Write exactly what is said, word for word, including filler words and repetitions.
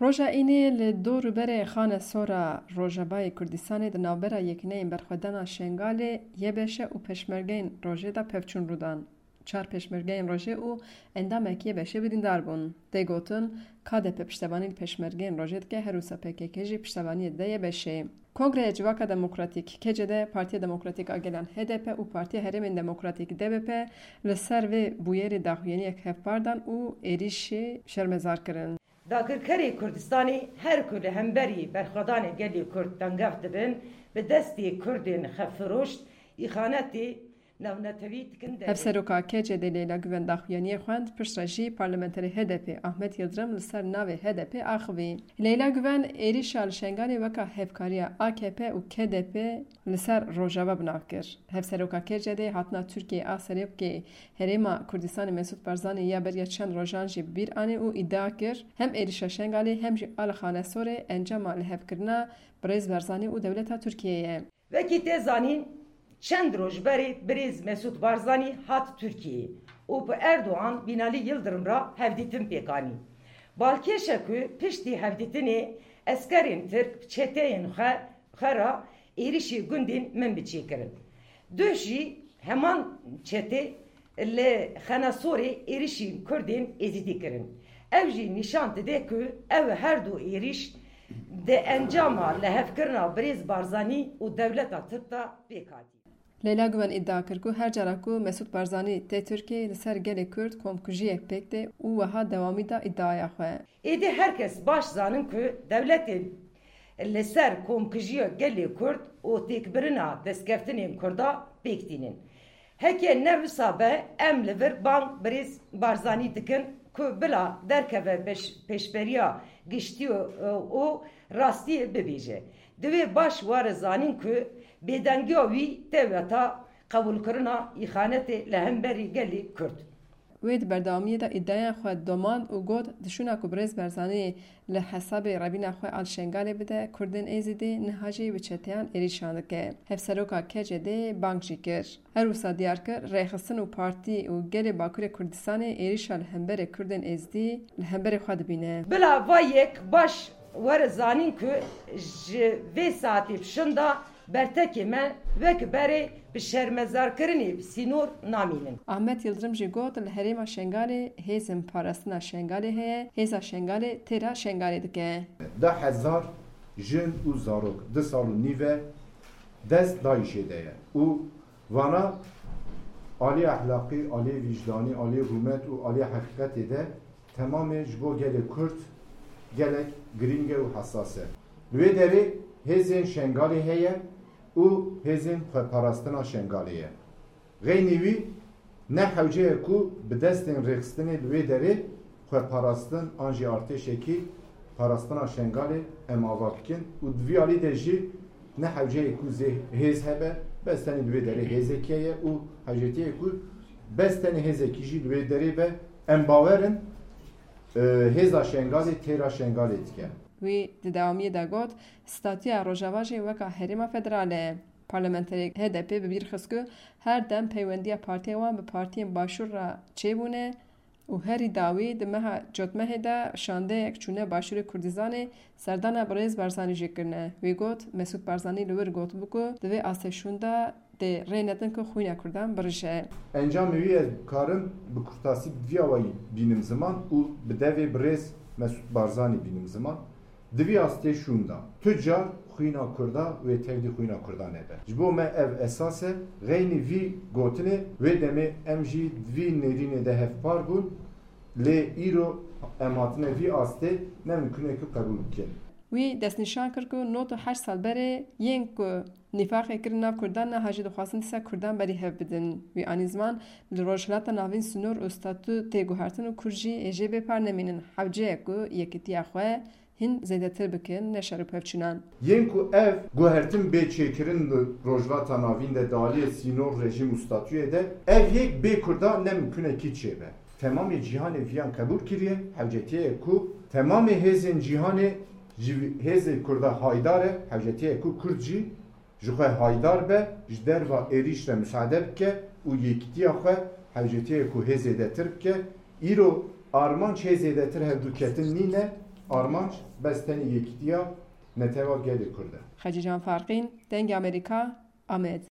Roja Înê li dor û berê Xanesora Rojavayê Kurdistanê di navbera Yekîneyên Berxwedana Şengalê, Y B Ş û Pêşmergeyên Rojê de pevçûn rû dan. Çar pêşmergeyên Rojê û endamekî Y B Şê birîndar bûn. Tê gotin, K D P piştevanî li pêşmergeyên Rojê dike, her wisa P K K jî piştevaniyê dide Y B Şê. Kongreyê Civaka Demokratîk, K C D, Partiya Demokratîk a Gelan, H D P, û Partiya Herêmên Demokratîk, D B P, li ser vê bûyerê daxuyaniyek hevpar dan û êrîşê şermezar kirin. Dagirkerê Kurdistanê her ku li hemberî berxwedanê gelê Kurd tengev dibin, bi destê Kurdên xefiroş îxanetê navnetewî dikin devê. Hevseroka K C D Leyla Guven daxuyaniyê xwend, piştre jî parlamenterê H D P Ahmet Yildirim li ser navê H D P axivî. Leyla Guven êrîşa li Şengalê weka hevkariya A K P û K D P li ser Rojava bi nav kir. Hevseroka K C D hatina Tirkiyeyê a serokê Herêma Kurdistanê Mesûd Barzanî ya beriya çend rojan jî bi bîr anî û îdia kir, hem êrîşa Şengalê hem jî a li Xanesorê encama lihevkirina birêz Barzanî û dewleta Tirkiyeyê ye. Wekî tê zanîn, çend roj berê birêz Mesûd Barzanî hat Tirkiyeyê û bi Erdogan Binalî Yildirim re hevdîtin pêk anî. Balkêş e ku piştî hevdîtinê eskerên Tirk bi çeteyên xwe, xwe re êrişî gundên Minbiçê kirin. Duh jî heman çetê li Xenesorê êrişî Kurdên Êzidî kirin. Ev jî nîşan dide ku ew her du êrîş di encama lihevkirina birêz Barzanî û dewleta Tirk de pêk hatî. Leyla Guven îdia kir ku her cara ku Mesûd Barzanî tê Tirkiyeyê, li ser gelê Kurd komkujiyek pêk tê û wiha dewamî da îdiaya xwe. Êdî her kes baş zanin ku dewletê li ser komkijiya gelê Kurd û têkbirina destkeftên Kurda pêk tînin. Heke ne wisa be, em li vir bang birêz Barzanî dikin ku bila derkeve beş-, pêşberiya giştî û, û rastiyê bibêje. Divê baş were zanîn ku bêdengiya wî tê weta qebûlkirina îxanetê li hemberî gelê Kurd. Wê di berdewamiyê de îdiaya xwe domand û got, di şûna ku birêz Barzanî li hesabê revîna xwe a li Şengalê bide, Kurdên Êzidî niha jî bi çeteyan êrîşan dike. Hevseroka K C D'ê bang jî kir. Her wisa diyar kir, rêxistin û partî û gelê Bakurê Kurdistanê êrîşa li hemberê Kurdên Êzidî li hemberê xwe dibîne. Bila va yek baş were zanîn ku ji vê saetê bi şûnda bertekê me wek berê bi şermezarkirinê bi sînor namînin. Ahmet Yildirim jî got, li herêma Şengalê hêzên parastina Şengalê heye, hêza Şengalê têra Şengalê dike. Deh hezar jin û zarok du sal û nîv e dest DAIŞê de ye û vana alî ehlaqî, alî vîcdanî, alî rûmet û alî heqîqetê de temamê ji bo gelê Kurd gelek girîng e û hesas e. Li wê derê hêzên Şengalê heye û hêzên xweparastina Şengalê ye. Xeynî wî ne hewce ye ku bi destên rêxistinê li wê derê xweparastin an jî artêşekî parastina Şengalê em ava bikin û di vî alî de jî ne hewce ye ku zê hêz hebe, bes tenê li wê derê hêzekî heye û hewcetî ye ku bes tenê hêzekî jî li wê derê be. Em bawer in, e, hêza Şengalê têra Şengalê dike. Wî di dewamiyê de got, statûya Rojava jî weka herêma federal e. Parlamenterê H D P bi bîr xist ku her dem peywendiya partiya wan bi partiyên Başûr re çêbûne û herî dawî di meha Cotmehê de şandeyek çûne Başûrê Kurdistanê, serdana birêz Barzanî jî kirine. Wî got, Mesûd Barzanî li wir gotibû ku di vê astê şûn de dê rê nedin ku xwîna Kurdan birije. Encamê wî ez dikarim bi kurtasî bi vî awayî bînim ziman û bi devê birêz Mesûd Barzanî bînim ziman. Di vî astê şûn de tu car xwîna Kurda wê tevdî xwîna Kurda nebe. Ji bo me ev esas e. Xeynî vî gotinê wê demê em jî di vî nêrînê de hevpar bûn, lê îro em hatine vî astê, ne mimkun e ku qebûl bikin. Wî destnîşan kir ku nod û heşt sal berê yên ku nîfaqê kirin nav Kurdan niha jî dixwazin dîsa Kurdan berî hev bidin. Wî anî ziman, li Rojhilata Navîn sînor û statû tê guhertin û Kurd jî ê jê bê par nemînin. Hewce ye ku yekîtiya xwe hîn zêdetir bikin, ne şer û pevçûnan. Yên ku ev guhertin bê çêkirin li Rojhilata Navîn de, di aliyê sînor, rejîm û statûyê de, ev yek bê Kurda ne mimkun e kî çêbe. Temamê cîhanê viyan qebûl kiriye, hewcetiye ye ku temamê hêzên cîhanê ji hêzê Kurda haydar e, hewcetiye ye ku Kurd jî ji xwe haydar be, ji derva êrîş re misaade bike û yekîtiya xwe hewcetiye ku hê zêdetir bike. Îro armanc hê zêdetir hevdûketin nîne, Armanc bes tenê yekîtiya netewa gelê Kurd e. Xecîcan Farqîn, Dengê Amerîka, Amed.